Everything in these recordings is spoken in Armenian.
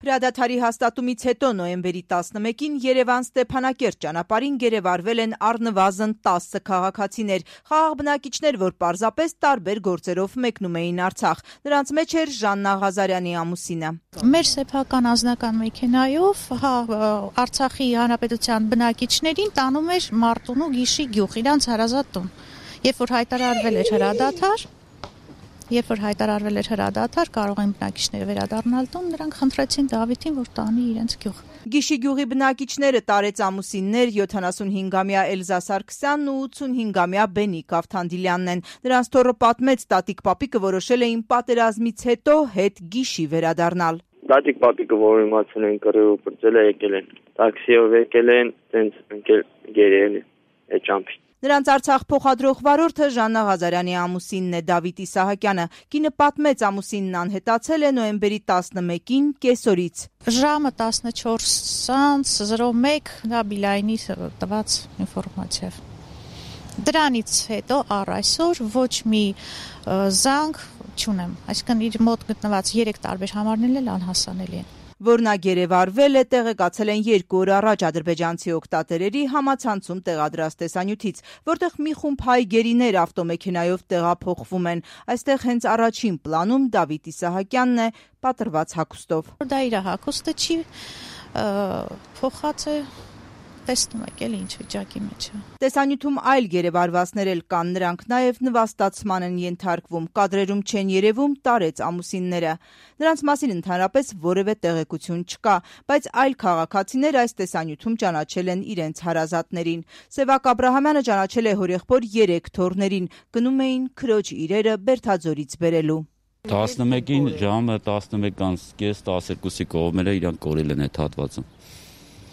Հրադադարի հաստատումից հետո նոյեմբերի 11-ին Երևան-Ստեփանակերտ ճանապարհին գերեվարվել են առնվազն 10 քաղաքացիներ, խաղաղ բնակիչներ, որ պարզապես տարբեր գործերով մեկնում էին Արցախ։ Նրանց մեջ էր Ժաննա Ղազարյանի ամուսինը։ Մեր սեփական անձնական մեքենայով Արցախի Հանրապետության բնակիչներին տանում էր Մարտունու Գիշի գյուղ, իրանց հարազատ տուն։ Երբ որ հայտարարվել էր հրադադար, կարող են բնակիչները վերադառնալ տուն, նրանք խնդրեցին Դավիթին, որ տանի իրենց գյուղ։ Գիշի գյուղի բնակիչները տարեց ամուսիններ 75-ամյա Էլզա Սարգսյանն ու 85-ամյա Բենիկ Ավթանդիլյանն են։ Նրանց թոռը պատմեց, տատիկ-պապիկը որոշել էին պատերազմից հետո հետ Գիշի վերադառնալ։ Տատիկ-պապիկը, որ իմացել են կռիվը բրծել է, եկել են տաքսիով եկել են, տենց ընկել գերել է ճամփին։ Նրանց Արցախ փոխադրող վարորդը Ժաննա Ղազարյանի ամուսինն է, Դավիթ Իսահակյանը։ Կինը պատմեց, ամուսինն անհետացել է նոյեմբերի 11-ին կեսօրից։ Ժամը 14:01 դա Բիլայնի տված ինֆորմացիա։ Դրանից հետո առ այսօր ոչ մի զանգ չունեմ, այսինքն իր մոտ գտնված 3 տարբեր համարներն էլ անհասանելի են։ Որ նա գերեվարվել է, տեղեկացել են 2 օր առաջ ադրբեջանցի օգտատերերի համացանցում տեղադրած տեսանյութից, որտեղ մի խումբ հայ գերիներ ավտոմեքենայով տեղափոխվում են։ Այստեղ հենց առաջին պլանում Դավիթ Իսահակյանն է պատրված հագուստով։ Դա իր հագուստը չի, փոխած է, տեսնում եք էլի ինչ վիճակի մեջ է։ Տեսանյութում այլ գերեվարվածներ էլ կան, նրանք նաև նվաստացման են ենթարկվում, կադրերում չեն երևում, տարեց ամուսինները։ Նրանց մասին ընդհանրապես որևէ տեղեկություն չկա, բայց այլ քաղաքացիներ այս տեսանյութում ճանաչել են իրենց հարազատներին։ Սևակ Աբրահամյանը ճանաչել է հորեղբոր 3 թոռներին, գնում էին քրոջ իրերը Բերթաձորից բերելու։ 11-ին ժամը 11:30-12-ի կողմերը իրանք կորել են այդ հատվածում։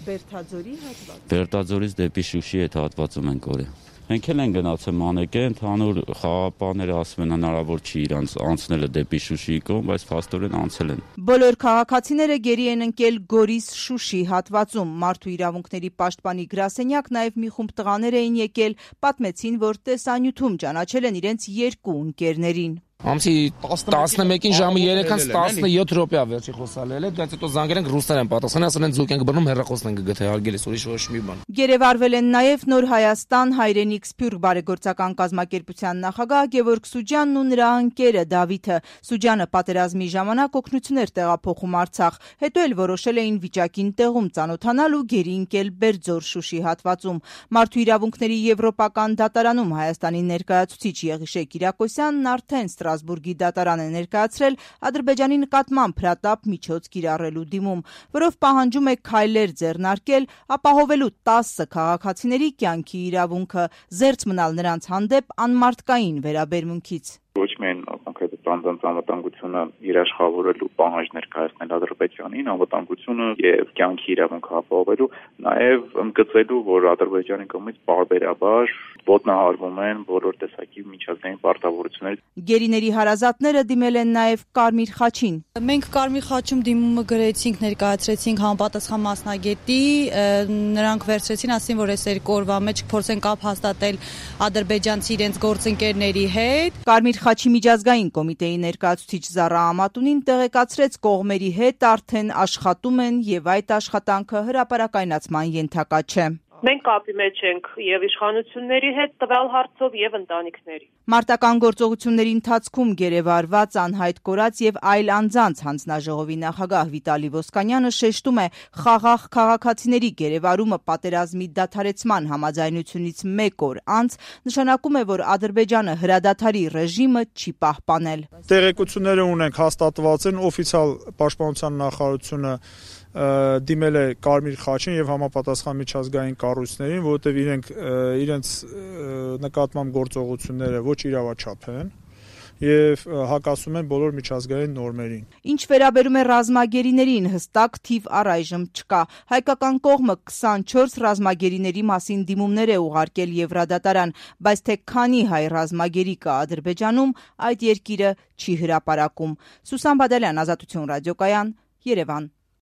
Բերթաձորի հատված։ Բերթաձորից դեպի Շուշի այդ հատվածում են կորել։ Մենք էլ են գնացել մանեկե, ընդհանուր խաղապահները ասում են հնարավոր չի իրանց անցնելը դեպի Շուշիի կողմ, բայց փաստորեն անցել են։ Բոլոր քաղաքացիները գերի են ընկել Գորիս-Շուշի հատվածում։ Մարդու իրավունքների պաշտպանի գրասենյակ նաև մի խումբ տղաներ էին եկել, պատմեցին, որ տեսանյութում ճանաչել են իրենց 2 ընկերներին։ Ամսի 11-ին ժամը 3:17 րոպեա վերջի խոսալել է, դրանից հետո զանգել ենք ռուսներ են պատասխանել, ասել են ձուկ ենք բռնում, հեռախոսն ենք գտել, հարգելիս, ուրիշ ոչ մի բան։ Գերեվարվել են նաև Նոր Հայաստան հայրենիք Սփյուռք բարեգործական կազմակերպության նախագահ Գևորգ Սուջյանն ու նրա ընկերը Դավիթը։ Սուջյանը պատերազմի ժամանակ օգնություն էր տեղափոխում Արցախ, հետո էլ որոշել էին վիճակին տեղում ծանոթանալ ու գերի ընկել Բերձոր-Շուշի հատվածում։ Մարդու իրավունքների եվրոպական դատարանում Հայաստանի ներկայացուցիչ Եղիշե Կիրակոսյանն արդեն Ստրասբուրգի դատարան է ներկայացրել Ադրբեջանի նկատմամբ հրատապ միջոց կիրառելու դիմում, որով պահանջում է քայլեր ձեռնարկել ապահովելու 10 քաղաքացիների կյանքի իրավունքը, զերծ մնալ նրանց հանդեպ անմարդկային վերաբերմունքից։ Ոչ միայն կոնկրետ անվտանգությունը երաշխավորելու պահանջ ներկայացնել Ադրբեջանին, անվտանգությունը եւ կյանքի իրավունքը ապահովելու, նաեւ ընդգծելու, որ Ադրբեջանի կողմից պարբերաբար ոտնահարվում են բոլոր տեսակի միջազգային պարտավորություններ։ Գերիների հարազատները դիմել են նաեւ Կարմիր խաչին։ Մենք Կարմիր խաչում դիմումը գրեցինք, ներկայացրեցինք համապատասխան մասնագետի, նրանք վերցրեցին, ասին, որ այս 2 օրվա մեջ փորձեն կապ հաստատել ադրբեջանցի իրենց գործընկերների հետ։ Կարմիր խաչի միջազգային կոմիտեի ներկայացուցիչ Զառա Ամատունին տեղեկացրեց, կողմերի հետ արդեն աշխատում են եւ այդ աշխատանքը հրապարակայնացման ենթակա չէ։ Մենք կապի մեջ ենք եւ իշխանությունների հետ տվյալ հարցով եւ ընտանիքների։ Մարտական գործողությունների ընթացքում գերեվարված, անհայտ կորած եւ այլ անձանց հանձնաժողովի նախագահ Վիտալի Ոսկանյանը շեշտում է, խաղաղ քաղաքացիների գերեվարումը պատերազմի դադարեցման համաձայնությունից 1 օր անց նշանակում է, որ Ադրբեջանը հրադադարի ռեժիմը չի պահպանել։ Տեղեկությունները ունենք, հաստատված են, օֆիցիալ պաշտպանության նախարարությունը դիմել է Կարմիր խաչին եւ համապատասխան միջազգային կառույցներին, որովհետեւ իրենց նկատմամբ գործողությունները ոչ իրավաչափ են եւ հակասում են բոլոր միջազգային նորմերին։ Ինչ վերաբերում է ռազմագերիներին, հստակ թիվ առայժմ չկա։ Հայկական կողմը 24 ռազմագերիների մասին դիմումներ է ուղարկել Եվրադատարան, բայց թե քանի հայ ռազմագերի կա Ադրբեջանում, այդ երկիրը չի հրապարակում։ Սուսան Բադալյան, Ազատություն ռադիոկայան, Երևան։